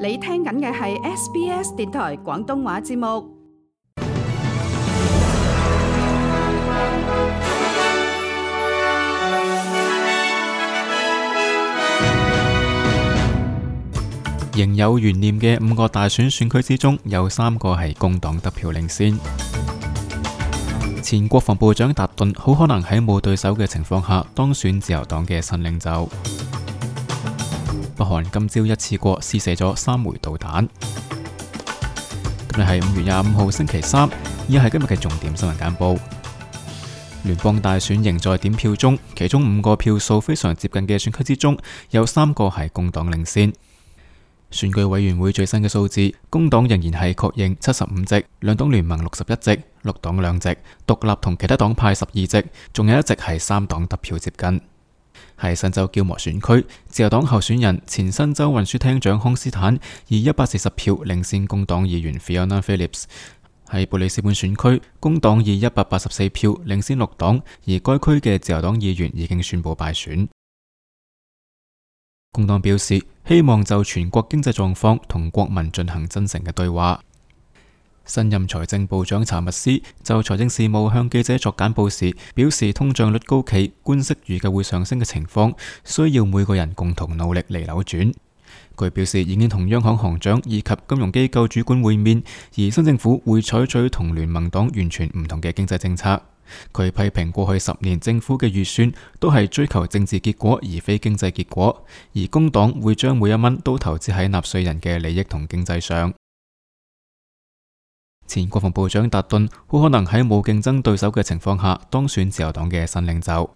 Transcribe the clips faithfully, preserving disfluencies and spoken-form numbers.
你聽緊嘅係 S B S 電台廣東話節目。仍有懸念嘅五個大選選區之中，有三個係工黨得票領先。前國防部長達頓好可能喺冇對手嘅情況下當選自由黨嘅新領袖。北韓今朝一次過試射咗三枚導彈。今日係五月廿五號星期三，以下係今日嘅重點新聞簡報。聯邦大選仍在點票中，其中五個票數非常接近嘅選區之中，有三個係工黨領先。選舉委員會最新嘅數字，工黨仍然係確認七十五席，兩黨聯盟六十一席，綠黨兩席，獨立同其他黨派十二席，仲有一席係三黨得票接近。喺新州焦磨選區，自由黨候選人前新州運輸廳長康斯坦以一百四十票領先工黨議員 Fiona Phillips。喺布里斯本選區，工黨以一百八十四票領先綠黨，而該區嘅自由黨議員已經宣布敗選。工黨表示希望就全國經濟狀況同國民進行真誠嘅對話。新任財政部長查密斯就財政事務向記者作簡報時表示，通脹率高企、官息預計會上升嘅情況，需要每個人共同努力嚟扭轉。佢表示已經同央行行長以及金融機構主管會面，而新政府會採取同聯盟黨完全唔同嘅經濟政策。佢批評過去十年政府嘅預算都係追求政治結果而非經濟結果，而工黨會將每一蚊都投資喺納稅人嘅利益同經濟上。前國防部長達頓好可能喺冇競爭對手嘅情況下當選自由黨嘅新領袖。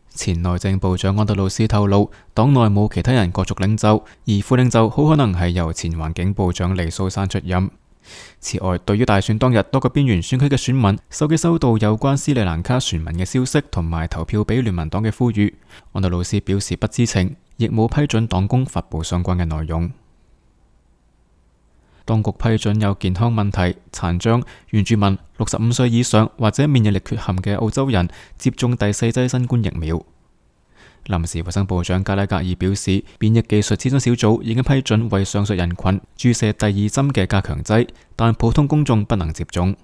前內政部長安德魯斯透露，黨內冇其他人角逐領袖，而副領袖好可能係由前環境部長利蘇珊出任。此外，對於大選當日多個邊緣選區嘅選民手機收到有關斯里蘭卡選民嘅消息同埋投票俾聯盟黨嘅呼籲，安德魯斯表示不知情，亦冇批准黨工發佈相關嘅內容。當局批准有健康問題、殘障、原住民、六十五歲以上或者免疫力缺陷嘅澳洲人接種第四劑新冠疫苗。臨時衛生部長加拉格爾表示，變異技術諮詢小組已經批准為上述人群注射第二針嘅加強劑，但普通公眾不能接種。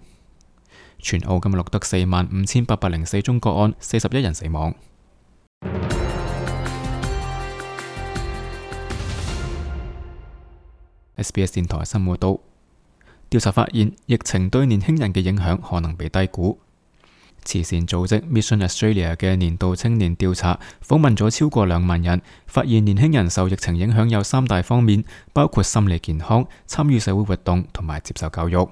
全澳今日錄得四萬五千八百零四宗個案，四十一人死亡。S B S 電台新聞報道，調查發現疫情對年輕人嘅影響可能被低估。慈善組織 Mission Australia 嘅年度青年調查訪問咗超過兩萬人，發現年輕人受疫情影響有三大方面，包括心理健康、參與社會活動同埋接受教育。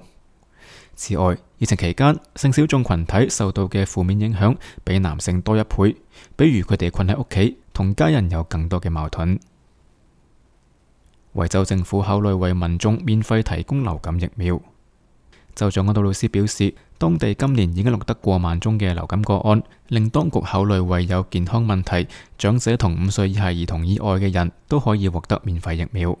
此外，疫情期間性小眾群體受到嘅負面影響比男性多一倍，比如佢哋困喺屋企，同家人有更多嘅矛盾。維州政府考慮為民眾免費提供流感疫苗。州長安德魯斯表示，當地今年已經錄得過萬宗嘅流感個案，令當局考慮為有健康問題、長者同五歲以下兒童以外嘅人都可以獲得免費疫苗。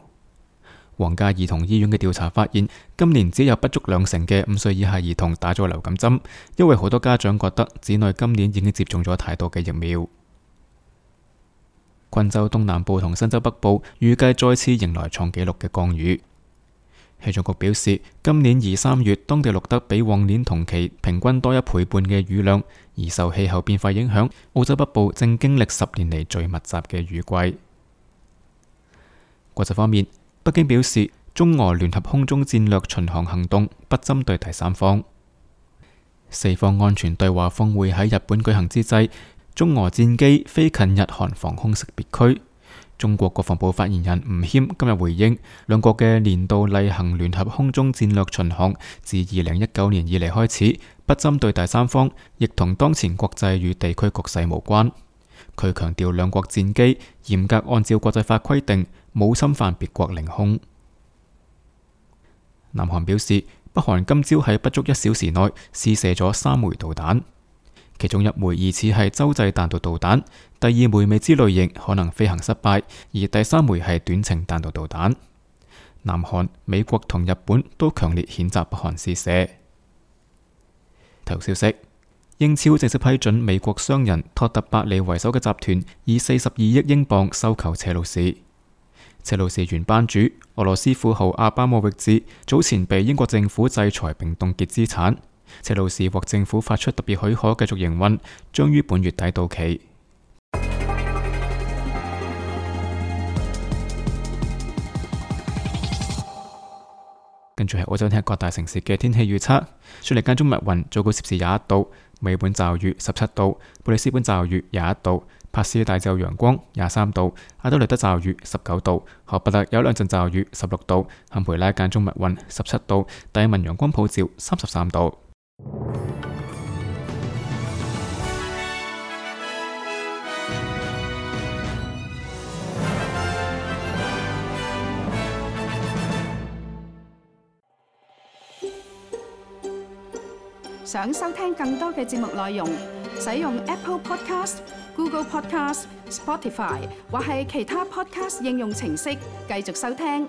皇家兒童醫院嘅調查發現，今年只有不足兩成嘅五歲以下兒童打咗流感針，因為好多家長覺得子女今年已經接種咗太多嘅疫苗。昆州東南部同新州北部預計再次迎來創紀錄嘅降雨。氣象局表示，今年二三月當地錄得比往年同期平均多一倍半嘅雨量，而受氣候變化影響，澳洲北部正經歷十年嚟最密集嘅雨季。國際方面，北京表示中俄聯合空中戰略巡航行動不針對第三方。四方安全對話峰會喺日本舉行之際，中俄戰機飛近日韓防空識別區。中國國防部發言人吳謙今日回應，兩國嘅年度例行聯合空中戰略巡航自二零一九年以嚟開始，不針對第三方，亦同當前國際與地區局勢無關。佢強調兩國戰機嚴格按照國際法規定，冇侵犯別國領空。南韓表示，北韓今朝喺不足一小時內試射咗三枚導彈。其中一枚疑似係洲際彈道導彈，第二枚未知類型可能飛行失敗，而第三枚係短程彈道導彈。南韓、美國同日本都強烈譴責北韓試射。體育消息：英超正式批准美國商人托特伯利為首嘅集團以四十二億英鎊收購車路士。車路士原班主俄羅斯富豪阿巴莫域治早前被英國政府制裁並凍結資產，車路士獲政府發出特別許可繼續營運，將於本月底到期。跟住係澳洲聽各大城市嘅天氣預測，雪梨間中密雲，最高攝氏廿一度；美本驟雨十七度；布里斯本驟雨廿一度；帕斯大驟陽光廿三度；阿德萊德驟雨十九度；荷伯特有兩陣驟雨十六度；坎培拉間中密雲十七度；達爾文陽光普照三十三度。想收聽更多嘅節目內容，使用 Apple Podcast、Google Podcast、Spotify 或係其他 Podcast 應用程式繼續收聽。